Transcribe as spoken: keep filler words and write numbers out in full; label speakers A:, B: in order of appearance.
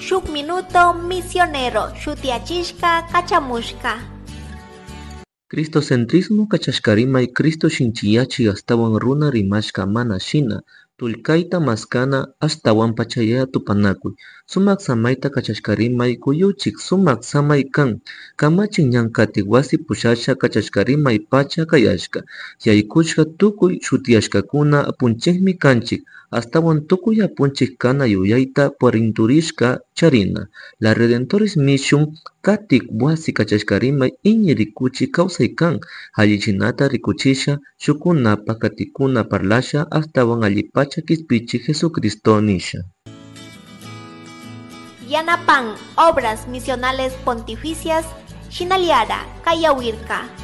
A: Shuk Minuto Misionero shutiyachishka kachamushka.
B: Cristocentrismo kachashkarimay Cristo shinchiyachi ashtawan runa rimashka mana shina tullkayta maskana ashtawan pachayaya tupanakuy sumak samayta kachashkarimay kuyuchik sumak samay kan kamachik ñan katik wasi pushasha kachashkarimay pacha kayashka yaykushka tukuy shutiyashkakuna apunchikmi kanchik ashtawan tukuy apunchik kana yuyayta parinturishka charina La Redentoris Mission katik wasi kachashkarimay iñi rikuchi kawsay kan allichinata rikuchisha shukunapa katikuna parlasha ashtawan allipacha kishpichik Jesucristo nisha.
A: Yanapan Obras Misionales Pontificias Shinaliara Kayawirka.